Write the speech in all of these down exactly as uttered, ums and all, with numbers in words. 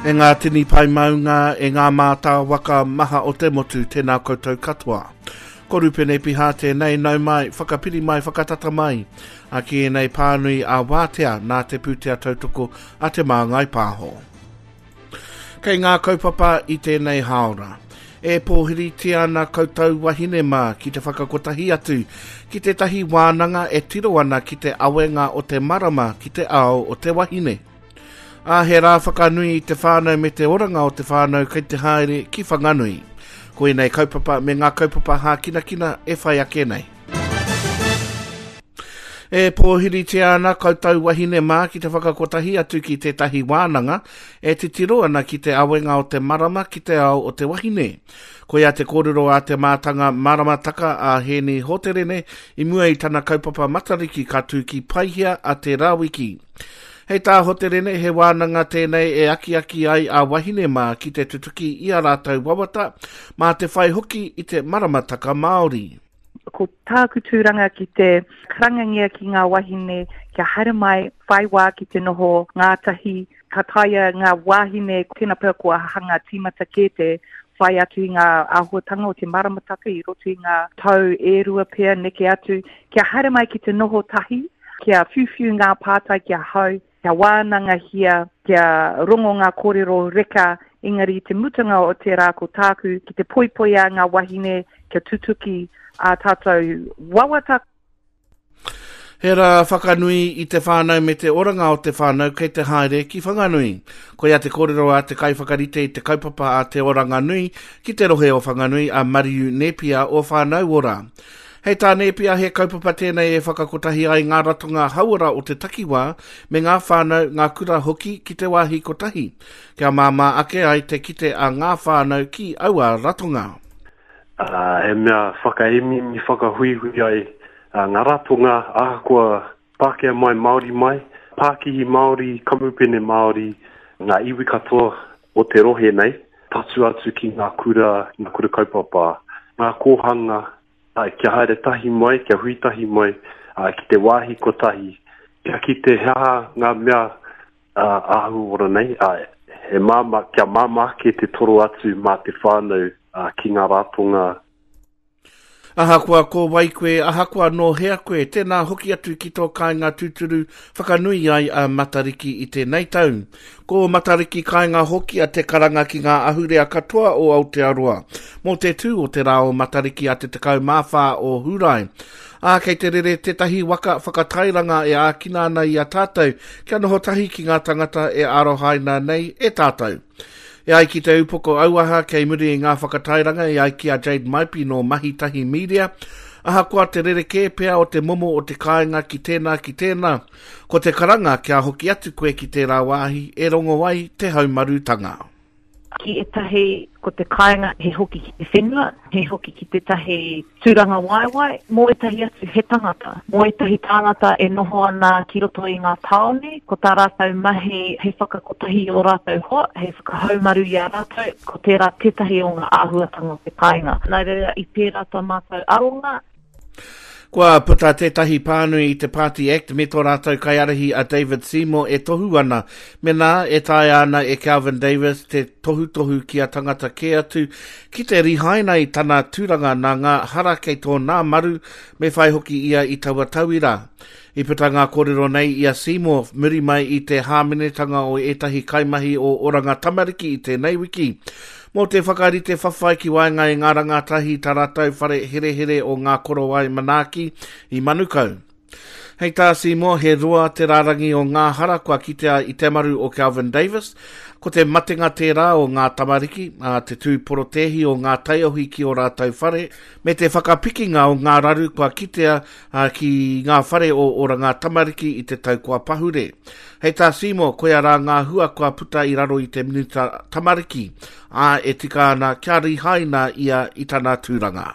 E ngā tini pai maunga, e ngā mātāwaka maha o te motu, tēnā koutou katoa. Ko Rupene Piha tēnei, nau mai, whakapiri mai, whakatata mai. A ki ēnei pānui a wātea nā te pūtea tautoko a Te Māngai Pāho. Kei ngā kaupapa i tēnei hāora. E pōhiritia ana koutou wahine mā ki te whakakotahi atu ki tētahi wānanga e tiro ana ki te awenga o te marama ki te ao o te wahine. A he rā whakanui i te whānau me te oranga o te whānau kei te haere ki Whanganui. Ko ēnei kaupapa me ngā kaupapa hākinakina e whai ake nei. E pōhiritia ana koutou wahine mā ki te whakakotahi atu ki tētahi wānanga e titiro ana ki te awenga o te marama ki te ao o te wahine. Koia te kōrero a te mātanga maramataka a Hēni Hoterene i mua i tana kaupapa Matariki ka tū ki Paihia a te Rāwiki. Hei tā Hoterene, he wānanga tēnei e akiaki ai a wahine mā ki te tutuki i a rātou wawata, mā te whai hoki i te maramataka Māori. Ko tāku tūranga ki te karangangia ki ngā wahine kia haere mai, whai wā ki te noho ngātahi, ka taea ngā wāhine, tēnā pea kua hanga tīmata kē te whai atu i ngā āhuatanga o te maramataka i roto i ngā tau e rua pea neke atu, kia haere mai ki te noho tahi, kia whiuwhiu ngā pātai ki ahau, kia wānangahia, kia rongo ngā kōrero reka, engari i te mutunga o te rā ko tāku ki te poipoi a ngā wahine kia tutuki ā tātou wawata. He rā whakanui i te whānau me te oranga o te whānau kei te haere ki Whanganui. Koia te kōrero a te kaiwhakarite i te kaupapa a Te Oranga Nui ki te rohe o Whanganui a Mariu Nepia o Whānau Ora. Hei tā Nepia, he kaupapa tēnei e whakakotahi ai ngā ratonga hauora o te takiwā me ngā whānau, ngā kura hoki ki te wāhi kotahi, kia māmā ake ai te kite a ngā whānau ki aua ratonga. Uh, he mea whakaemiemi, whakahuihui ai uh, ngā ratonga, ahakoa Pākehā mai, Māori mai, Pākihi Māori, Kamupene Māori, ngā iwi katoa o te rohe nei, tatū atu ki ngā kura, ngā kura kaupapa, ngā kōhanga, kia haere tahi mai, kia hui tahi mai, ki te wāhi kotahi, kia kite he aha ngā mea āhuora nei, he māmā, kia māmā ake te toro atu mā te whānau ki ngā ratonga. Ahakoa ko wai koe, ahakoa nō hea koe, tēnā hoki atu ki tō kāinga tūturu whakanui ai a Matariki i tēnei tau. Ko Matariki kāinga hoki a te karanga ki ngā ahurea katoa o Aotearoa, mō te tū o te rā o Matariki a te tekau mā whā o Hūrae. Ā, kei te rere tētahi waka whakatairanga e ākina ana i a tātou kia noho tahi ki ngā tangata e arohaina nei e tātou. E ai ki te upoko auaha kei muri i ngā whakatairanga e ai ki a Jade Maipi nō Mahi Tahi Media, ahakoa te rerekē pea o te momo o te kāinga ki tēnā ki tēnā, ko te karanga kia hoki atu koe ki tērā wāhi e rongo ai te haumarutanga. Ki ētahi ko te kāinga he hoki ki te whenua, he hoki ki tētahi tūranga waewae, mō ētahi atu he tangata. Mō ētahi tāngata e noho ana ki roto i ngā tāone, ko tā rātou mahi he whakakotahi i ō rātou hoa, he whakahaumaru i a rātou, ko tērā tētahi o ngā āhuatanga o te kāinga. Nā reira i pērā tā mātou aronga. Kua puta tētahi pānui i te Party Act me tō rātou kaiārahi a David Seymour e tohu ana, mēnā e taea ana e Kelvin Davis te tohutohu ki a tangata kē atu ki te rihaina i tana tūranga nā ngā hara kei tōna maru, me whai hoki ia i taua tauira. I puta ngā kōrero nei i a Seymour muri mai i te hāmenetanga o ētahi kaimahi o Oranga Tamariki i tēnei wiki. Mō te whakarite whawhai ki waenga i ngā rangatahi tā rātou whare herehere o ngā korowai manaaki i Manukau. Hei tā Seymour, he roa te rārangi o ngā hara kua kitea i te maru o Kelvin Davis, ko te matenga tērā o ngā tamariki, ā, te tū porotēhi o ngā taiohi ki ō rātou whare, me te whakapikinga o ngā raru kua kitea ki ngā whare o Oranga Tamariki i te tau kua pahure. Hei tā Seymour, koia rā ngā hua kua puta i raro i te Minita Tamariki, ā, e tika ana kia rihaina ia i tana tūranga.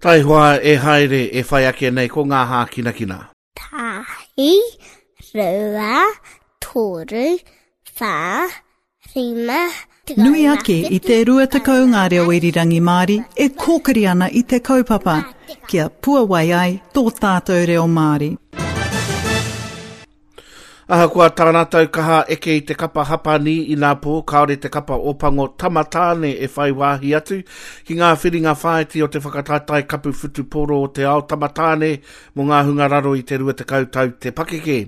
Taihoa e haere e whai ake nei ko ngā hākinakina. Tahi, rua, toru, whā, rima, Nui ake i te rua tekau ngā reo irirangi Māori e kōkiri ana i te kaupapa, kia puawai ai tō tātou reo Māori. Ahakoa tā rātou kaha eke i te kapa Hapani inapō, kāore te kapa Ōpango Tamatāne e whai wāhi atu ki ngā whiringa whāiti o te whakataetae kapu whutupōro o te ao tamatāne mō ngā hunga raro i te rua tekau tau te pakeke.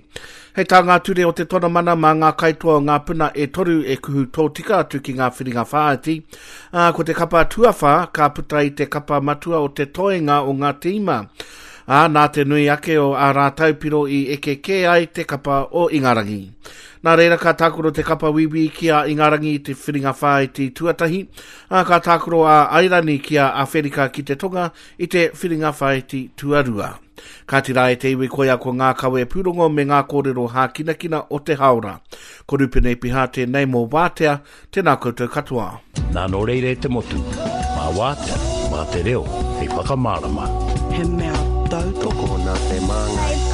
Hei tā ngā ture o te tonamana mā ngā kaitoa o ngā puna e toru e kuhu tōtika atu ki ngā whiringa whāiti, ā, ko te kapa tuawhā ka puta i te kapa matua o te toenga o ngā tīma. Ā, nā te nui ake o ā rātou piro i eke kē ai te kapa o Ingarangi. Nā reira ka tākaro te kapa Wīwī ki a Ingarangi i te whiringa whāiti tuatahi, ā, ka tākaro a Airani ki a Awherika ki te Tonga i te whiringa whāiti tuarua. Kāti rā e te iwi koia ko ngā kawe pūrongo me ngā kōrero hākinakina o te haora. Ko Rupene Piha tēnei mō Wātea, tēnā koutou katoa. Nā nō reira e te motu, mā Wātea, mā te reo, hei whakamārama. He mea tautoko Tokona te māngai.